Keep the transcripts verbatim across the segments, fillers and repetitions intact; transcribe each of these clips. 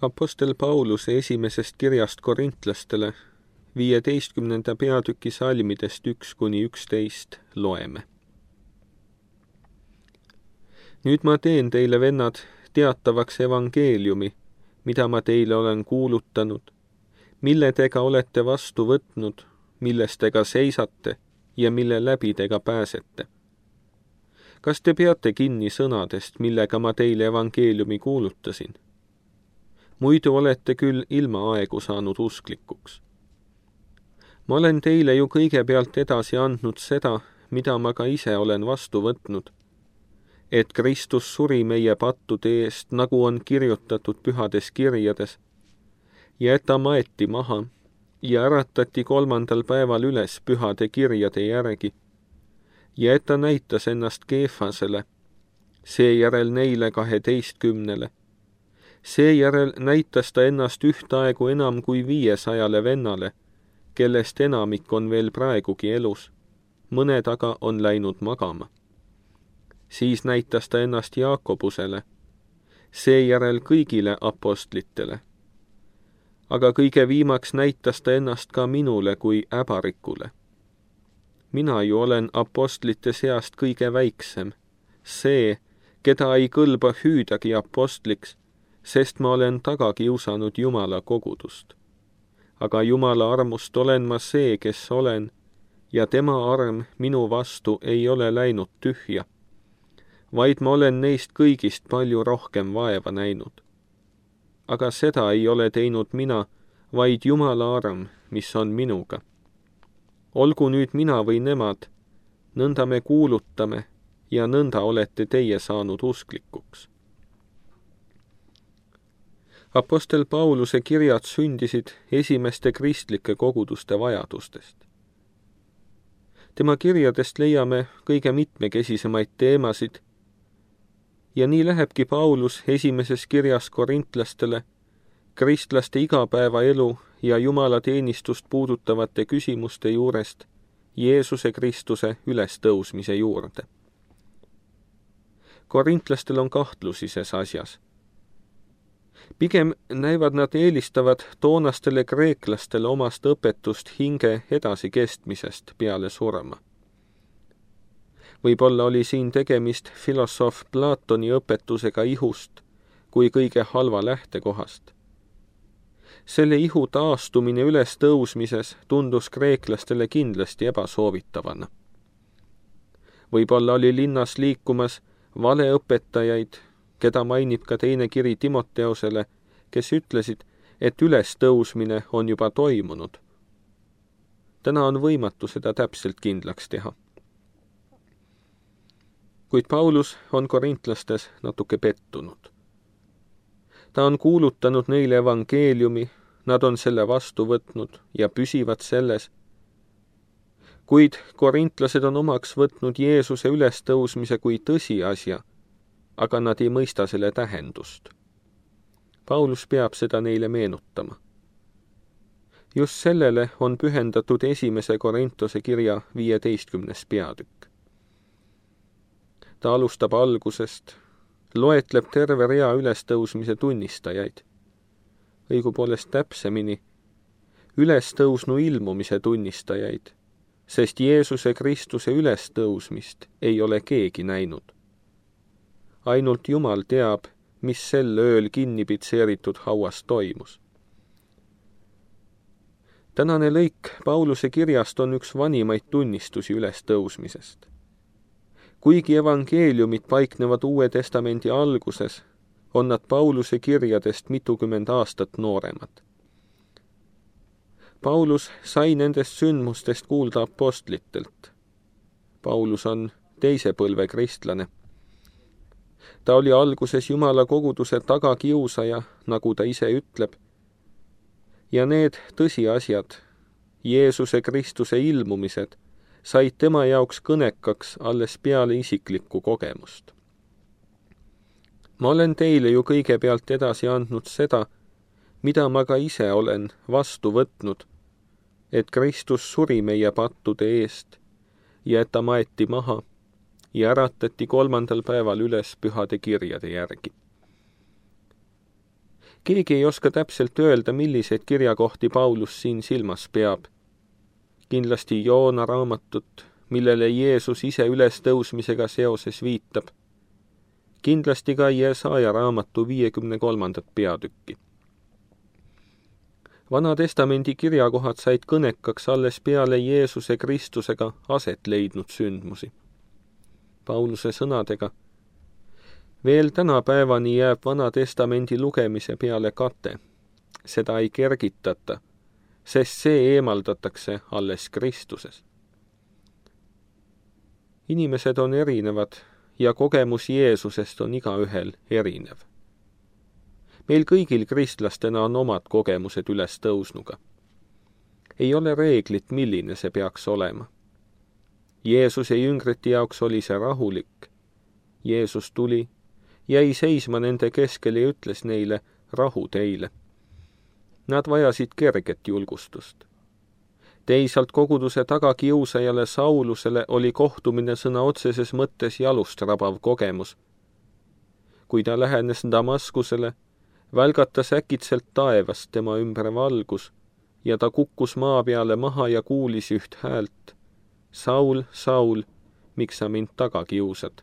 Apostel Pauluse esimesest kirjast korintlastele viieteistkümnenda peatüki salmidest üks kuni üksteist loeme. Nüüd ma teen teile, vennad, teatavaks evangeeliumi, mida ma teile olen kuulutanud, mille te ka olete vastu võtnud, milles te ka seisate ja mille läbi te ka pääsete. Kas te peate kinni sõnadest, millega ma teile evangeeliumi kuulutasin? Muidu olete küll ilma aegu saanud usklikuks. Ma olen teile ju kõigepealt edasi andnud seda, mida ma ka ise olen vastu võtnud, et Kristus suri meie pattude eest, nagu on kirjutatud pühades kirjades, ja et ta maeti maha ja äratati kolmandal päeval üles pühade kirjade järgi, ja et ta näitas ennast Keefasele, seejärel neile kaheteistkümnele. Seejärel näitas ta ennast ühtaegu enam kui viiesajale vennale, kellest enamik on veel praegugi elus, mõned aga on läinud magama. Siis näitas ta ennast Jaakobusele, seejärel kõigile apostlitele. Aga kõige viimaks näitas ta ennast ka minule kui äbarikule. Mina ju olen apostlite seast kõige väiksem, see, keda ei kõlba hüüdagi apostliks, sest ma olen taga kiusanud Jumala kogudust. Aga Jumala armust olen ma see, kes olen, ja tema arm minu vastu ei ole läinud tühja, vaid ma olen neist kõigist palju rohkem vaeva näinud. Aga seda ei ole teinud mina, vaid Jumala arm, mis on minuga. Olgu nüüd mina või nemad, nõnda me kuulutame ja nõnda olete teie saanud usklikuks. Apostel Pauluse kirjad sündisid esimeste kristlike koguduste vajadustest. Tema kirjadest leiame kõige mitmekesisemaid teemasid ja nii lähebki Paulus esimeses kirjas korintlastele kristlaste igapäevaelu ja Jumala teenistust puudutavate küsimuste juurest Jeesuse Kristuse ülestõusmise juurde. Korintlastel on kahtlusi ses asjas. Pigem näivad nad eelistavat toonastele kreeklastele omast õpetust hinge edasikestmisest peale surma. Võib-olla oli siin tegemist filosoof Platoni õpetusega ihust kui kõige halva lähtekohast. Selle ihu taastumine üles tõusmises tundus kreeklastele kindlasti ebasoovitavana. Võib-olla oli linnas liikumas valeõpetajaid, keda mainib ka teine kiri Timoteosele, kes ütlesid, et ülestõusmine on juba toimunud. Täna on võimatu seda täpselt kindlaks teha. Kuid Paulus on korintlastes natuke pettunud. Ta on kuulutanud neile evangeeliumi, nad on selle vastu võtnud ja püsivad selles. Kuid korintlased on omaks võtnud Jeesuse ülestõusmise kui tõsiasja, aga nad ei mõista selle tähendust. Paulus peab seda neile meenutama. Just sellele on pühendatud esimese Korintuse kirja viieteistkümnes peatükk. Ta alustab algusest, loetleb terve rea ülestõusmise tunnistajaid, õigupoolest täpsemini, ülestõusnu ilmumise tunnistajaid, sest Jeesuse Kristuse ülestõusmist ei ole keegi näinud. Ainult Jumal teab, mis sel ööl kinnipitseeritud hauas toimus. Tänane lõik Pauluse kirjast on üks vanimaid tunnistusi ülestõusmisest. Kuigi evangeeliumid paiknevad Uue Testamendi alguses, on nad Pauluse kirjadest mitukümmend aastat nooremad. Paulus sai nendest sündmustest kuulda apostlitelt. Paulus on teise põlve kristlane. Ta oli alguses Jumala koguduse tagakiusaja, nagu ta ise ütleb, ja need tõsiasjad, Jeesuse Kristuse ilmumised, said tema jaoks kõnekaks alles peale isiklikku kogemust. Ma olen teile ju kõigepealt edasi andnud seda, mida ma ka ise olen vastu võtnud, et Kristus suri meie pattude eest ja et ta maeti maha ja äratati kolmandal päeval üles pühade kirjade järgi. Keegi ei oska täpselt öelda, milliseid kirjakohti Paulus siin silmas peab. Kindlasti Joona raamatut, millele Jeesus ise ülestõusmisega seoses viitab. Kindlasti ka Jesaja raamatu viiekümne kolmandat peatükki. Vana testamendi kirjakohad said kõnekaks alles peale Jeesuse Kristusega aset leidnud sündmusi. Pauluse sõnadega: veel tänapäevani jääb Vana testamendi lugemise peale kate. Seda ei kergitata, sest see eemaldatakse alles Kristuses. Inimesed on erinevad ja kogemus Jeesusest on igaühel erinev. Meil kõigil kristlastena on omad kogemused ülestõusnuga. Ei ole reeglit, milline see peaks olema. Jeesuse jüngrite jaoks oli see rahulik. Jeesus tuli, jäi seisma nende keskel ja ütles neile: rahu teile. Nad vajasid kerget julgustust. Teisalt koguduse tagakiusajale Saulusele oli kohtumine sõna otseses mõttes jalust rabav kogemus. Kui ta lähenes Damaskusele, välgatas äkitselt taevast tema ümber valgus ja ta kukkus maa peale maha ja kuulis üht häält: Saul, Saul, miks sa mind taga kiusad?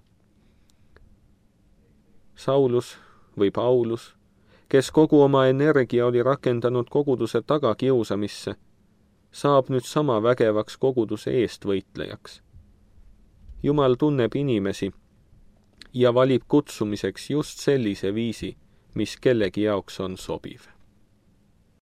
Saulus või Paulus, kes kogu oma energia oli rakendanud koguduse tagakiusamisse, saab nüüd sama vägevaks koguduse eestvõitlejaks. Jumal tunneb inimesi ja valib kutsumiseks just sellise viisi, mis kellegi jaoks on sobiv.